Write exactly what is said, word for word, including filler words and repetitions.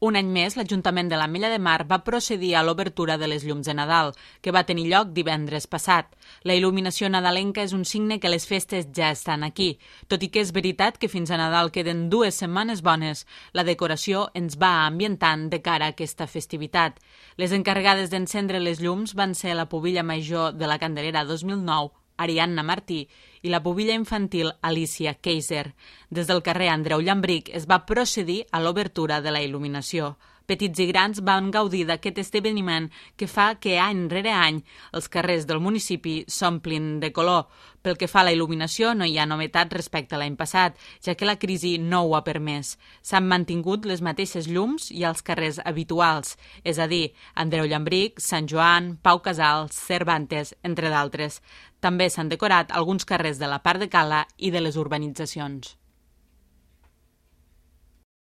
Un any més, l'Ajuntament de l'Ametlla de Mar va procedir a l'obertura de les llums de Nadal, que va tenir lloc divendres passat. La il·luminació nadalenca és un signe que les festes ja estan aquí. Tot i que és veritat que fins a Nadal queden dues setmanes bones, la decoració ens va ambientant de cara a aquesta festivitat. Les encarregades d'encendre les llums van ser la pubilla major de la Candelera dos mil nou, Ariadna Martí, i la pubilla infantil Alicia Kaiser. Des del carrer Andreu Llambric es va procedir a l'obertura de la il·luminació. Petits i grans van gaudir d'aquest esdeveniment que fa que any rere any els carrers del municipi s'omplin de color. Pel que fa a la il·luminació no hi ha novetat respecte a l'any passat, ja que la crisi no ho ha permès. S'han mantingut les mateixes llums i els carrers habituals, és a dir, Andreu Llambric, Sant Joan, Pau Casals, Cervantes, entre d'altres. També s'han decorat alguns carrers de la part de Cala i de les urbanitzacions.